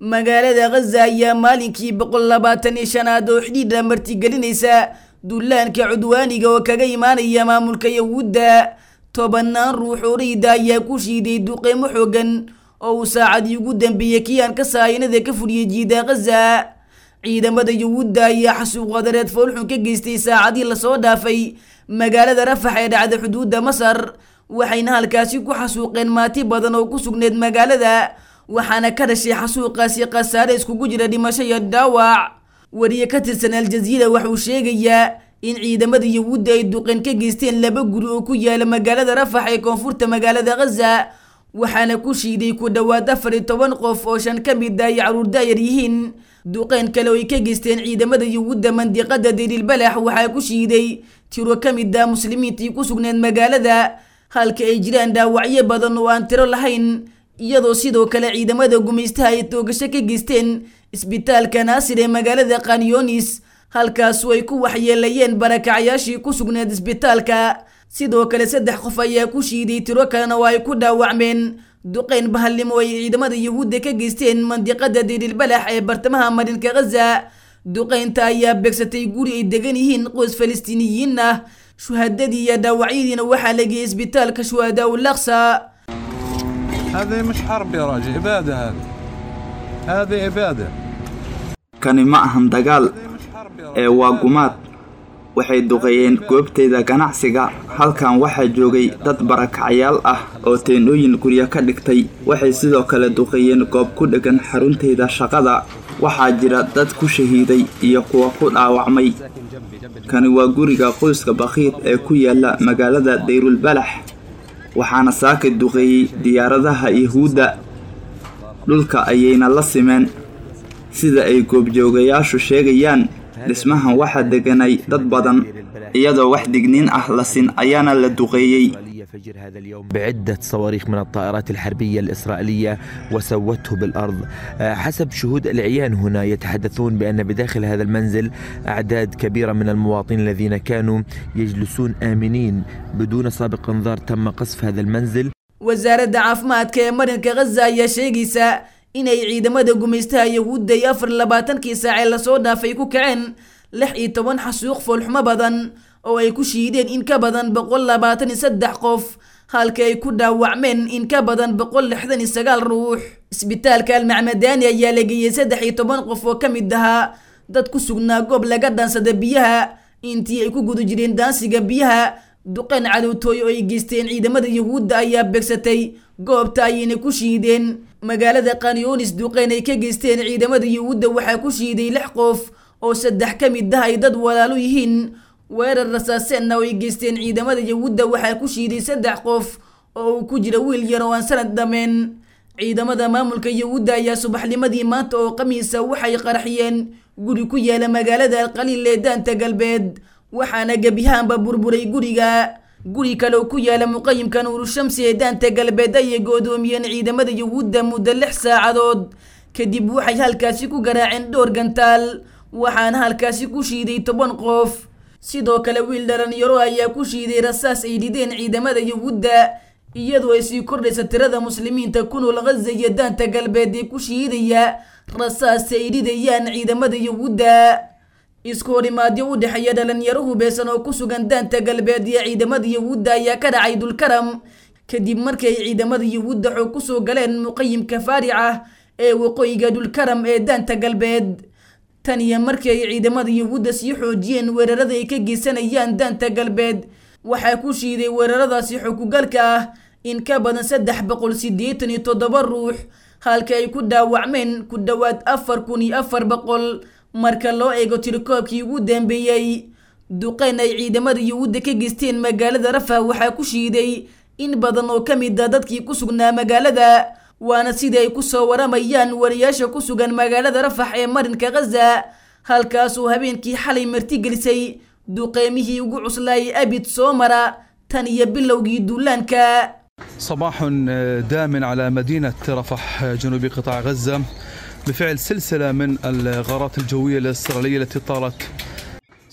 Magaalada Ghaza ayaa maalinkii 125aad oo xidhiidha martigelinaysa duulaanka cudwaaniga oo kaga imaanaya maamulka Yahuudda. 10 ruux oo rayid ayaa ku shiiday duqeymo xoogan oo uu saacadii ugu dambeeyey kiyaanka sahayanada ka fuliyey jiida Ghaza. Ciidamada Yahuudda ayaa xasuuq wadareed foolxun ka geystay saacadii lasoo dhaafay magaalada Rafax ee dhacda xuduudda Masar, waxayna halkaasi ku xasuuqeen maati badan oo ku sugneed magaalada, waxaana ka dhashay xasuuqaasi khasaare iskugu jira dhimasho iyo dhaawac. Wariye ka tirsan Aljaziira wuxuu sheegayaa in ciidamada Yahuudda ay duqeen ka geysteen 2 guri oo ku yaala magaalada Rafax ee koonfurta magaalada Ghaza, waxaana ku shiiday ku dhowaad 14 qof oo 5 ka mid ah ay carruur daayar yihiin. Duqeen kale oo ay ka geysteen ciidamada Yahuudda mandiqada Deir el-Balax waxaa ku shiiday tiro ka mid ah muslimiintii ku sugneed magaalada, halka ay jiraan dhaawacyo badan oo aan tiro lahayn, iyadoo sidoo kale ciidamada gumaystaha ay toogasho ka geysteen isbitaalka Naasir ee magaalada Khan Yunis, halkaasoo ay ku waxyeelayeen barakacayaashii ku sugneed isbitaalka. Sidoo kale 3 qof ayaa ku shiiday, tiro kalena oo ay ku dhaawacmeen duqeyn bahalnimo ay ciidamada Yahuudda ka geysteen mandiqada Deir el-Balax ee bartamaha marinka Ghaza. Duqeynta ayaa beegsatay guri ay degan yihiin qoys Falastiiniyiin ah. Shuhadadii iyo dhaawacyadiina waxaa la geeyey isbitaalka Shuhadaa ul-Aqsa. هذه مش حرب يا راجل، إبادة هذه. هذه إبادة. Kani ma ahan dagaal ee waa gumaad. Waxay duqeeyeen goobtayda ganacsiga. Halkan waxaa joogay dad barakacayaal ah oo teendhooyin guryo ka dhigtay. Waxay sidoo kale duqeeyeen goob ku dheggan xaruntayda shaqada. Waxaa jira dad ku shahiiday iyo kuwa ku dhaawacmay. Kani waa guriga qoyska Bakhiit ee ku yaala magaalada Deirul Balax, waxaana saaka duqeeyey diyaaradaha Yahuudda. Dhulka ayayna la simeen. Sida ay goobjoogayaashu sheegayaan, dhismahan waxaa deganay dad badan, iyadoo wax digniin ah la sin ayaana la duqeeyey. فجر هذا اليوم بعدة صواريخ من الطائرات الحربية الإسرائيلية وسوته بالأرض. حسب شهود العيان هنا يتحدثون بأن بداخل هذا المنزل أعداد كبيرة من المواطنين الذين كانوا يجلسون آمنين بدون سابق انذار تم قصف هذا المنزل. Wasaaradda caafimaadka ee marinka Ghaza ayaa sheegaysa inay ciidamada gumaystaha Yahuudda ay 24kii saac ee lasoo dhaafay ku kaceen 16 xasuuq foolxumo badan oo ay ku shiideen in ka badan 123 qof, halka ay ku dhaawacmeen in ka badan 169 ruux. Isbitaalka Al-Macmadaani ayaa la geeyey 13 qof oo ka mid ahaa dad ku sugnaa goob laga dhaansada biyaha intii ay ku guda jireen daansiga biyaha. Duqeyn cadowtooy oo ay geysteen ciidamada Yahuudda ayaa beegsatay goobta ayayna ku shiideen. Magaalada Khan Yunis duqeyn ay ka geysteen ciidamada Yahuudda waxaa ku shiiday 6 qof oo 3 ka mid ah ay dad walaalo yihiin. Weerar rasaaseenna oo ay geysteen ciidamada Yahuudda waxaa ku shiiday 3 qof oo uu ku jira wiil yar oo aan sanad dhameen. Ciidamada maamulka Yahuudda ayaa subaxnimadii maanta oo Khamiisa waxay qarxiyeen guri ku yaala magaalada Al-Qaliil ee daanta galbeed, waxaana gebiyahaanba burburay guriga. Guri kale oo ku yaala muqayimka Nuuru Shamsi ee daanta galbeed ayay go'doomiyeen ciidamada Yahuudda muddo 6 saacadood. Kadib waxay halkaasi ku garaaceen dhowr gantaal, waxaana halkaasi ku shiiday 10 qof. Sidoo kale wiil dhalinyaro ayaa ku shiiday rasaas ay dhideen ciidamada Yahuudda, iyadoo ay sii kordhaysa tirada muslimiinta ku nool Ghaza iyo daanta galbeed ee ku shiidaya rasaas ay dhidayaan ciidamada Yahuudda. Isku horimaadyo u dhexeeya dhalinyaro hubeysan oo ku sugan daanta galbeed iyo ciidamada Yahuudda ayaa ka dhacay Dulkaram, kadib markii ay ciidamada Yahuudda xoog ku soo galeen muqayimka Faarica ee waqooyiga Dulkaram ee daanta galbeed. Tan iyo markii ay ciidamada Yahuudda sii xoojiyeen weerarada ay ka geysanayaan daanta galbeed, waxaa ku shiiday weeraradaasi xog-ku-galka ah in ka badan 387 ruux, halka ay ku dhaawacmeen ku dhowaad 4400 marka loo eego tirakoobkii ugu dambeeyey. Duqeyn ay ciidamada Yahuudda ka geysteen magaalada Rafah waxaa ku shiiday in badan oo ka mid ah dadkii ku sugnaa magaalada, waana sida ay ku soo waramayaan wariyaasha ku sugan magaalada Rafax ee marinka Ghaza, halkaasoo habeenkii xalay martigelisay duqeymihii ugu cuslaayay abid soo mara tan iyo bilowgii duulaanka. صباح دام على مدينة رفح جنوب قطاع غزة بفعل سلسلة من الغارات الجوية الإسرائيلية التي طالت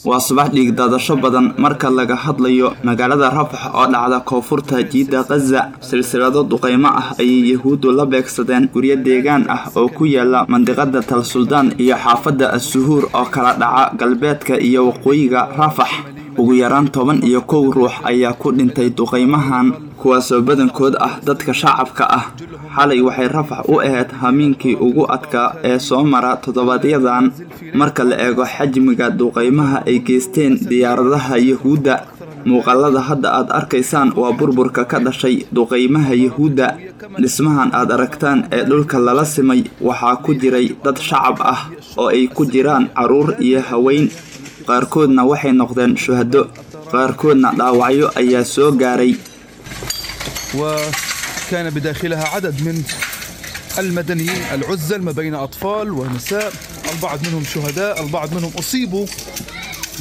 Waa subax dhiigdaadasho badan marka laga hadlayo magaalada Rafax oo dhacda koonfurta jiidda Gaza. Silsilado duqeymo ah ayay Yahuuddu la beegsadeen guryo deegaan ah oo ku yaala mandiqada Tal Suldaan iyo xaafadda As-Suhuur oo kala dhaca galbeedka iyo waqooyiga Rafax. Ugu yaraan 11 ruux ayaa ku dhintay duqeymahan, kuwaasoo badankood ah dadka shacabka ah. Xalay waxay Rafax u ahayd hamiinkii ugu adkaa ee soo mara toddobaadyadan marka la eego xajmiga duqeymaha ay geysteen diyaaradaha Yahuudda. Muuqaalada hadda aad arkaysaan waa burburka ka dhashay duqeymaha Yahuudda. Dhismahan aad aragtaan ee dhulka lala simay waxaa ku jiray dad shacab ah oo ay ku jiraan carruur iyo haween. Qaarkoodna waxay noqdeen shuhado, qaarkoodna dhaawacyo ayaa soo gaaray. وكان بداخلها عدد من المدنيين العزل ما بين أطفال ونساء، البعض منهم شهداء، البعض منهم أصيبوا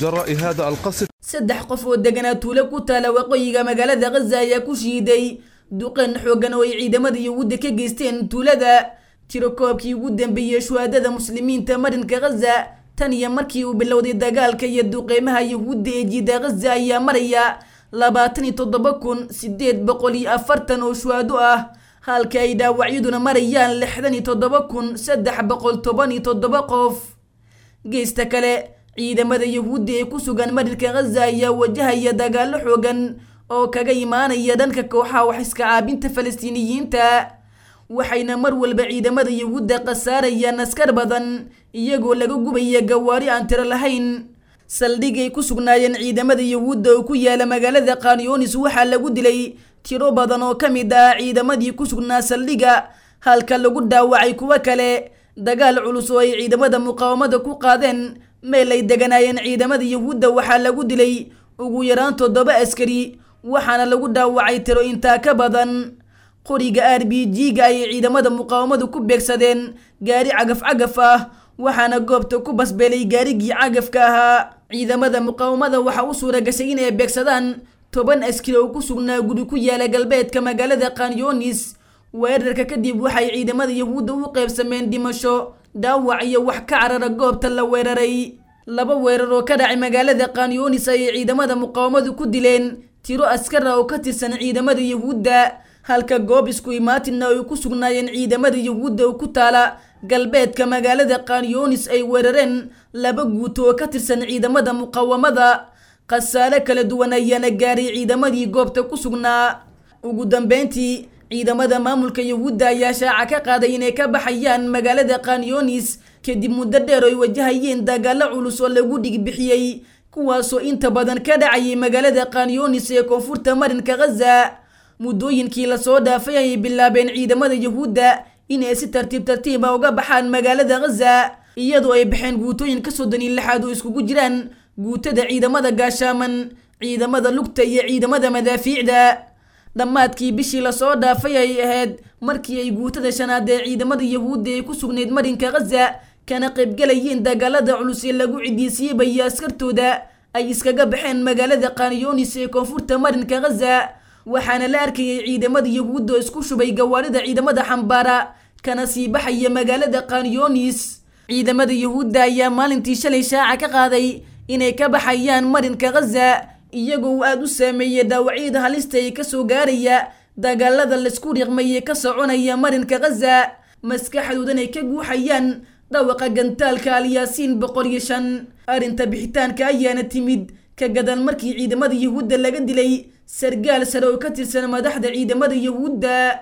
جراء هذا القصف. Saddex qof oo deganaa tuulo ku taala waqooyiga magaalada Gaza ayaa ku shiiday duqan xooggan oo ay ciidamada Yahuudda ka geysteen tuulada. Tiro koobkii ugu dambeeyey shuhadada muslimiinta marinka Gaza tan iyo markii uu bilowday dagaalka iyo duqeymaha Yahuudda ee jiida Gaza ayaa maraya 27,840 oo shuhado ah, halka ay dhaawacyaduna marayaan 67,317 qof. Geesta kale, ciidamada Yahuudda ee ku sugan marinka Gaza ayaa wajahaya dagaallo xoogan oo kaga imaanaya dhanka kooxaha wax iska caabinta Falastiiniyiinta, waxayna mar walba ciidamada Yahuudda khasaarayaan askar badan iyagoo laga gubaya gawaari aan tiro lahayn. Saldhigay ku sugnaayeen ciidamada Yahuudda oo ku yaala magaalada Khan Yunis waxaa lagu dilay tiro badan oo ka mid ah ciidamadii ku sugnaa saldhigga, halka lagu dhaawacay kuwo kale. Dagaal culus oo ay ciidamada muqaawamada ku qaadeen meel ay deganaayeen ciidamada Yahuudda waxaa lagu dilay ugu yaraan 7 askari, waxaana lagu dhaawacay tiro intaa ka badan. Qoriga RPG-ga ayay ciidamada muqaawamadu ku beegsadeen gaari cagaf cagaf ah, waxaana goobta ku basbeelay gaarigii cagafka ahaa. Ciidamada muqaawamada waxaa u suura gashay inay beegsadaan 10 askari oo ku sugnaa guri ku yaala galbeedka magaalada Khan Yunis. Weerarka kadib waxay ciidamada Yahuudda u qaybsameen dhimasho, dhaawac iyo wax ka carara goobta la weeraray. Laba weerar oo ka dhacay magaalada Khan Yunis ayay ciidamada muqaawamadu ku dileen tiro askar ah oo ka tirsan ciidamada Yahuudda, halka goob isku imaatinna ay ku sugnaayeen ciidamada Yahuudda oo ku taala galbeedka magaalada Khan Yunis ay weerareen laba guuto oo ka tirsan ciidamada muqaawamada. Khasaare kala duwan ayaana gaaray ciidamadii goobta ku sugnaa. Ugu dambeyntii, ciidamada maamulka Yahuudda ayaa shaaca ka qaaday inay ka baxayaan magaalada Khan Yunis kadib muddo dheer oo ay wajahayeen dagaallo culus oo lagu dhigbixiyey, kuwaasoo inta badan ka dhacayay magaalada Khan Yunis ee koonfurta marinka Gaza. Muddooyinkii lasoo dhaafay ayay bilaabeen ciidamada Yahuudda inay si tartiib tartiib ah uga baxaan magaalada Gaza, iyadoo ay baxeen guutooyinka 36aad oo iskugu jiraan guutada ciidamada gaashaaman, ciidamada lugta iyo ciidamada madaafiicda. Dhammaadkii bishii lasoo dhaafay ay ahayd markii ay guutada 5aad ee ciidamada Yahuudda ay ku sugnayd marinka Gaza kana qaybgalayeen dagaalada culus ee lagu cidiisiibaya askartooda ay iskaga baxeen magaalada Khan Yunis ee koonfurta marinka Gaza, waxaana la arkayay ciidamada Yahuudda oo isku shubay gawaarida ciidamada xambaara kana sii baxaya magaalada Khan Yunis. Ciidamada Yahuudda ayaa maalintii shalay shaaca ka qaaday inay ka baxayaan marinka Gaza, iyagoo uu aada u saameeyey dhaawacyada halista ee kasoo gaaraya dagaalada laisku riiqmayey ka soconaya marinka Gaza, maskaxdoodan ay ka guuxayaan dhawaqa gantaalka Alyaasiin 105. Arrinta bixitaanka ayaana timid ka gadal markii ciidamada Yahuudda laga dilay sargaal sare oo ka tirsan madaxda ciidamada Yahuudda.